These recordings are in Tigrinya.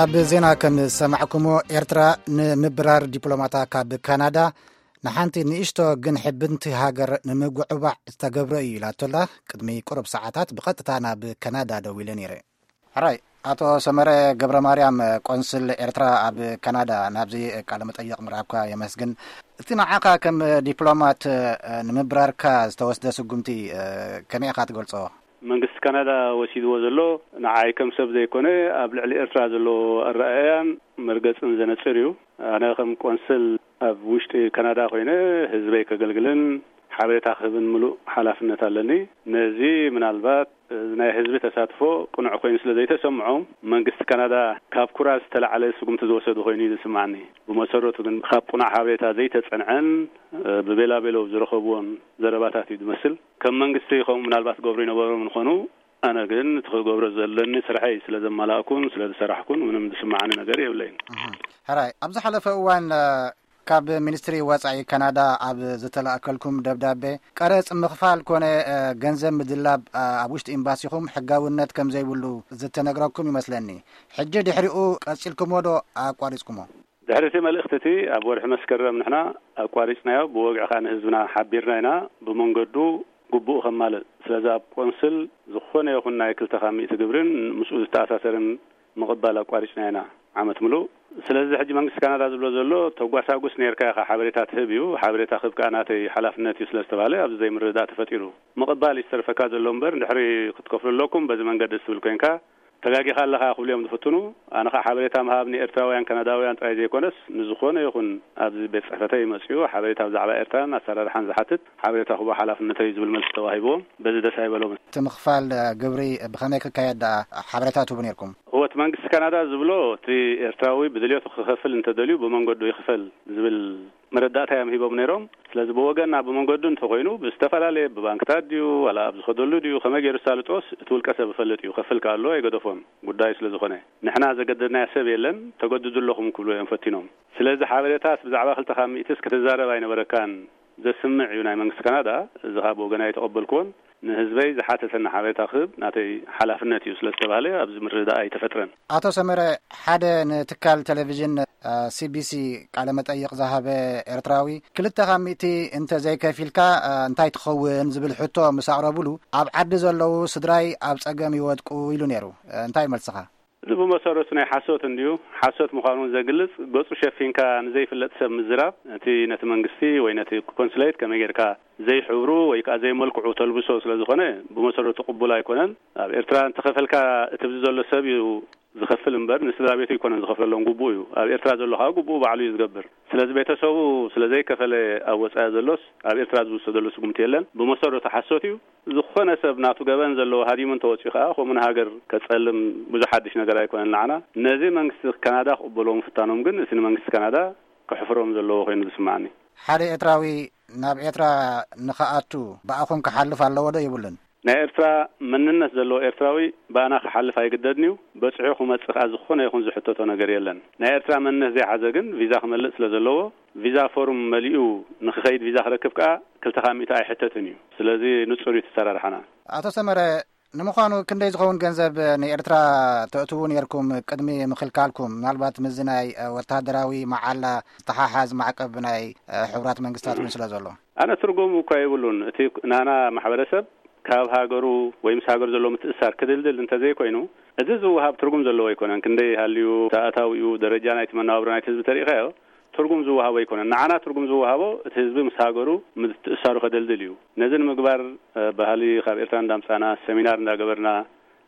ኣብ ዜና ከም ዝሰማዕኩሞ፣ ኤርትራ ንምብራር ዲፕሎማታ ካብ ካናዳ ንሓንቲ ንእሽቶ ግን ሕብንቲ ሃገር ንምጉዕባዕ ዝተገብረ እዩ ኢላቶላ። ቅድሚ ቁሩብ ሰዓታት ብቐጥታ ናብ ካናዳ ደዊለ ነይረ። ሕራይ፣ ኣቶ ሰመረ ገብረ ማርያም፣ ቆንስል ኤርትራ ኣብ ካናዳ፣ ናብዚ ቃለ መጠይቕ ምርካብካ የመስግን። እቲ ንዓኻ ከም ዲፕሎማት ንምብራርካ ዝተወስደ ስጉምቲ ከመይ ኢኻ ትገልጾ? መንግስቲ ካናዳ ወሲድዎ ዘሎ ንዓይ ከም ሰብ ዘይኮነ፣ ኣብ ልዕሊ ኤርትራ ዘለዎ ኣረኣእያን መርገጽን ዘነጽር እዩ። ኣነ ከም ቆንስል ኣብ ውሽጢ ካናዳ ኮይነ ህዝበይ ከገልግልን ሓበሬታ ክህብን ምሉእ ሓላፍነት ኣለኒ። ነዚ ምናልባት ናይ ህዝቢ ተሳትፎ ቅኑዕ ኮይኑ ስለ ዘይተሰምዖም፣ መንግስቲ ካናዳ ካብ ኩራ ዝተላዕለ ስጉምቲ ዝወሰዱ ኮይኑ እዩ ዝስማዓኒ። ብመሰረቱ ግን ካብ ቅኑዕ ሓበሬታ ዘይተጸንዐን ብቤላቤሎ ዝረኸብዎን ዘረባታት እዩ ዝመስል። ከም መንግስቲ ከምኡ ምናልባት ገብሩ ይነበሮም ንኾኑ፣ ኣነ ግን እቲ ክገብሮ ዘለኒ ስርሐይ ስለ ዘማላእኩን ስለ ዝሰራሕኩን ምንም ዝስማዓኒ ነገር የብለይን። ሕራይ፣ ኣብ ዝሓለፈ እዋን ካብ ሚኒስትሪ ወጻኢ ካናዳ ኣብ ዝተላእከልኩም ደብዳቤ፣ ቀረጽ ምኽፋል ኮነ ገንዘብ ምድላብ ኣብ ውሽጢ ኤምባሲኹም ሕጋውነት ከም ዘይብሉ ዝተነግረኩም ይመስለኒ። ሕጂ ድሕሪኡ ቀጺልኩሞ ዶ ኣቋሪጽኩሞ? ድሕሪ እቲ መልእኽቲ እቲ ኣብ ወርሒ መስከረም ንሕና ኣቋሪጽናዮ፣ ብወግዒ ከኣ ንህዝብና ሓቢርና ኢና። ብመንገዱ ግቡእ ከማልእ። ስለዚ ኣብ ቆንስል ዝኾነ ይኹን ናይ ክልተ ካብ ሚእቲ ግብርን ምስኡ ዝተኣሳሰርን ምቕባል ኣቋሪጽና ኢና ዓመት ምሉእ። ስለዚ ሕጂ መንግስቲ ካናዳ ዝብሎ ዘሎ፣ ተጓሳጉስ ነይርካ ኢኻ፣ ሓበሬታ ትህብ እዩ፣ ሓበሬታ ክህብ ከኣ ናተይ ሓላፍነት እዩ ስለ ዝተባህለ ኣብዚ ዘይምርድዳእ ተፈጢሩ። ምቕባል እዩ ዝተርፈካ ዘሎ እምበር፣ ድሕሪ ክትከፍሉ ኣለኩም፣ በዚ መንገዲ ትብል ኮይንካ ተጋጊኻ ኣለኻ ክብሉ እዮም ዝፍትኑ። ኣነ ኸኣ ሓበሬታ ምሃብ ንኤርትራውያን ካናዳውያን ጥራይ ዘይኮነስ፣ ንዝኾነ ይኹን ኣብዚ ቤት ጽሕፈተይ መጺኡ ሓበሬታ ብዛዕባ ኤርትራን ኣሰራርሓን ዝሓትት ሓበሬታ ክህቦ ሓላፍነተይ እዩ ዝብል መልሲ ተዋሂብዎም። በዚ ደስ ኣይበሎምን። እቲ ምኽፋል ግብሪ ብኸመይ ክካየድ ደኣ ሓበሬታ ትህቡ ነይርኩም? እወ፣ እቲ መንግስቲ ካናዳ ዝብሎ፣ እቲ ኤርትራዊ ብድልየቱ ክኸፍል እንተደልዩ ብመንገዱ ይኽፈል ዝብል መረዳእታ እዮም ሂቦም ነይሮም። ስለዚ ብወገንና ብመንገዱ እንተኾይኑ ብዝተፈላለየ፣ ብባንክታት ድዩ ዋላ ኣብ ዝኸደሉ ድዩ ከመይ ገይሩ ሳልጦስ እቲ ውልቀ ሰብ ይፈልጥ እዩ፣ ከፍል ከኣ ኣለዎ ኣይገደፎን ጉዳዩ ስለ ዝኾነ። ንሕና ዘገደድናዮ ሰብ የለን፣ ተገድዱ ኣለኹም ክብሉ እዮም ፈቲኖም። ስለዚ ሓበሬታስ ብዛዕባ ክልተ ካብ ሚእትስ ክትዛረብ ኣይነበረካን ዘስምዕ እዩ ናይ መንግስቲ ካናዳ። እዚ ኸኣ ብወገና ኣይተቐበልክዎን። ንህዝበይ ዝሓተተኒ ሓበሬታ ክህብ ናተይ ሓላፍነት እዩ ስለ ዝተባህለ ኣብዚ ምርድዳእ ኣይተፈጥረን። ኣቶ ሰመረ፣ ሓደ ንትካል ቴሌቪዥን ሲቢሲ ቃለ መጠይቕ ዝሃበ ኤርትራዊ፣ ክልተ ካብ ሚእቲ እንተ ዘይከፊልካ እንታይ ትኸውን ዝብል ሕቶ ምስ ኣቕረቡሉ፣ ኣብ ዓዲ ዘለዉ ስድራይ ኣብ ጸገም ይወድቁ ኢሉ ነይሩ። እንታይ መልስኻ? እዚ ብመሰረቱ ናይ ሓሶት እንድዩ። ሓሶት ምዃኑ እውን ዘግልጽ፣ ገጹ ሸፊንካ ንዘይፍለጥ ሰብ ምዝራብ፣ እቲ ነቲ መንግስቲ ወይ ነቲ ኮንስሌት ከመይ ጌርካ ዘይሕብሩ ወይ ከኣ ዘይመልክዑ ተልብሶ ስለ ዝኾነ፣ ብመሰረቱ ቅቡል ኣይኮነን። ኣብ ኤርትራ እንተኸፈልካ፣ እቲ ኣብዚ ዘሎ ሰብ እዩ ዝኸፍል እምበር፣ ንስድራ ቤቱ ኣይኮነን ዝኸፍለሎም፣ ግቡኡ እዩ። ኣብ ኤርትራ ዘሎ ከኣ ግቡኡ ባዕሉ እዩ ዝገብር። ስለዚ ቤተሰቡ ስለ ዘይከፈለ ኣብ ወጻኢ ዘሎስ፣ ኣብ ኤርትራ ዝውሰደሉ ስጉምቲ የለን። ብመሰረቱ ሓሶት እዩ። ዝኾነ ሰብ ናቱ ገበን ዘለዎ ሃዲሙ እንተወጺኡ ከኣ፣ ከምኡ ንሃገር ከጸልም ብዙሕ ሓድሽ ነገር ኣይኮነን ንዓና። ነዚ መንግስቲ ካናዳ ክቕበልዎ ምፍታኖም ግን፣ እቲ ንመንግስቲ ካናዳ ከሕፍሮም ዘለዎ ኮይኑ ዝስምዓኒ። ሓደ ኤርትራዊ ናብ ኤርትራ ንኽኣቱ ብኣኹም ክሓልፍ ኣለዎ ዶ የብሉን? ናይ ኤርትራ መንነት ዘለዎ ኤርትራዊ ብኣና ክሓልፍ ኣይግደድን እዩ። በጺሑ ክመጽእ ከኣ ዝኾነ ይኹን ዝሕተቶ ነገር የለን። ናይ ኤርትራ መንነት ዘይሓዘ ግን ቪዛ ክመልእ ስለ ዘለዎ፣ ቪዛ ፎርም መሊኡ ንኽኸይድ፣ ቪዛ ክረክብ ከኣ ክልተ ካብ ሚእቲ ኣይሕተትን እዩ። ስለዚ ንጹር እዩ እቲ ኣሰራርሓና። ኣቶ ሰመረ፣ ንምዃኑ ክንደይ ዝኸውን ገንዘብ ንኤርትራ ተእትዉ ነይርኩም ቅድሚ ምኽልካልኩም? ምናልባት ምስዚ ናይ ወተሃደራዊ መዓላ ዝተሓሓዝ ማዕቀብ ናይ ሕቡራት መንግስታት እውን ስለ ዘሎ። ኣነ ትርጉም እኳ የብሉን። እቲ ናና ማሕበረሰብ ካብ ሃገሩ ወይ ምስ ሃገሩ ዘሎ ምትእሳር ክድልድል እንተዘይኮይኑ፣ እዚ ዝወሃብ ትርጉም ዘለዎ ኣይኮነን። ክንደይ ሃልዩ፣ ኣታዊኡ፣ ደረጃ ናይቲ መነባብሮ ናይቲ ህዝቢ ተሪኢኻዮ፣ ትርጉም ዝወሃቦ ኣይኮነን። ንዓና ትርጉም ዝወሃቦ እቲ ህዝቢ ምስ ሃገሩ ምትእሳሩ ከደልድል እዩ። ነዚ ንምግባር፣ እ፣ ባህሊ ካብ ኤርትራ እንዳምጻና፣ ሰሚናር እንዳገበርና፣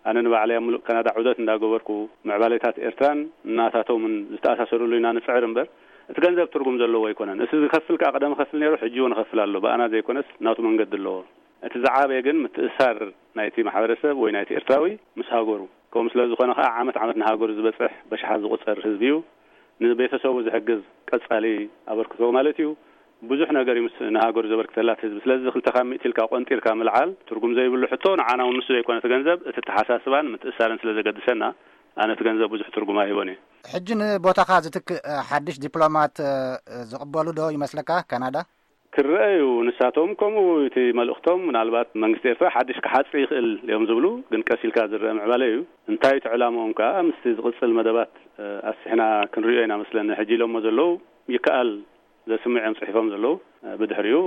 ኣነ ንባዕለይ ኣብ ምሉእ ካናዳ ዑደት እንዳገበርኩ፣ ምዕባሌታት ኤርትራን ናታቶምን ዝተኣሳሰሩሉ ኢና ንጽዕር እምበር፣ እቲ ገንዘብ ትርጉም ዘለዎ ኣይኮነን። እቲ ዝኸፍል ከኣ ቀደም ይኸፍል ነይሩ፣ ሕጂ እውን ይኸፍል ኣሎ። ብኣና ዘይኮነስ ናቱ መንገዲ ኣለዎ። እቲ ዝዓበየ ግን ምትእሳር ናይቲ ማሕበረሰብ ወይ ናይቲ ኤርትራዊ ምስ ሃገሩ። ከምኡ ስለ ዝኾነ ከኣ ዓመት ዓመት ንሃገሩ ዝበጽሕ በሽሓት ዝቑጸር ህዝቢ እዩ። ንቤተሰቡ ዝሕግዝ ቀጻሊ ኣበርክቶ ማለት እዩ። ብዙሕ ነገር እዩ ምስ ንሃገሩ ዘበርክተላ እቲ ህዝቢ። ስለዚ ክልተ ካብ ሚእቲ ኢልካ ቆንጢርካ ምልዓል ትርጉም ዘይብሉ ሕቶ፣ ንዓና እውን ንሱ ዘይኮነ እቲ ገንዘብ፣ እቲ ኣተሓሳስባን ምትእሳርን ስለ ዘገድሰና፣ ኣነ እቲ ገንዘብ ብዙሕ ትርጉም ኣይህቦን እየ። ሕጂ ንቦታኻ ዝትክእ ሓድሽ ዲፕሎማት ዝቕበሉ ዶ ይመስለካ ካናዳ? ይረኣዩ። ንሳቶም ከምኡ እቲ መልእኽቶም ምናልባት መንግስቲ ኤርትራ ሓድሽ ክሓጽ ይኽእል እዮም ዝብሉ፣ ግን ቀስ ኢልካ ዝረአ ምዕባለ እዩ። እንታይ እቲ ዕላምኦም ከኣ ምስቲ ዝቕጽል መደባት፣ እ፣ ኣስሕና ክንሪኦ ኢና መስለኒ። ሕጂ ኢሎሞ ዘለዉ ይከኣል ዘስምዕ እዮም ጽሒፎም ዘለዉ። እ፣ ብድሕሪኡ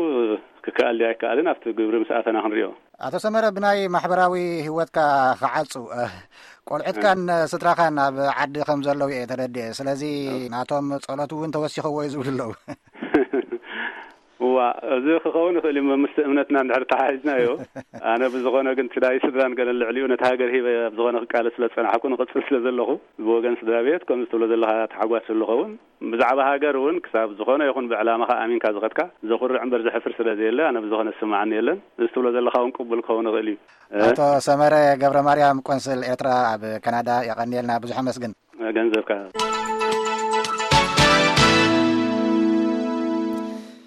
ክከኣል ድዩ ኣይከኣልን ኣብቲ ግብሪ ምስ ኣተና ክንሪኦ። ኣቶ ሰመረ፣ ብናይ ማሕበራዊ ህይወትካ ክዓጹ፣ እ፣ ቆልዑትካን ስድራኻን ኣብ ዓዲ ከም ዘለዉ እየ ተረዲኤ። ስለዚ ናቶም ጸሎት እውን ተወሲኸዎ እዩ ዝብሉ ኣለዉ። እዋ፣ እዚ ክኸውን ይኽእል እዩ፣ ምስ እምነትና እንድሕር ተሓሒዝናዮ። ኣነ ብዝኾነ ግን እቲ ናይ ስድራን ገለን ልዕሊኡ ነቲ ሃገር ሂበ ኣብ ዝኾነ ክቃለስ ስለ ዝጸናሕኩ፣ ንቕጽል ስለ ዘለኹ፣ ብወገን ስድራ ቤት ከምዚ ትብሎ ዘለኻ ተሓጓስ ዝኸውን፣ ብዛዕባ ሃገር እውን ክሳብ ዝኾነ ይኹን ብዕላማኻ ኣሚንካ ዝኸድካ ዘኹርዕ እምበር ዘሕፍር ስለ ዘየለ፣ ኣነ ብዝኾነ ዝስምዓኒ የለን። እዚ ትብሎ ዘለኻ እውን ቅቡል ክኸውን ይኽእል እዩ። እ? ኣቶ ሰመረ ገብረ ማርያም፣ ቆንስል ኤርትራ ኣብ ካናዳ፣ የቐንየልና፣ ብዙሕ ኣመስግን። ገንዘብካ።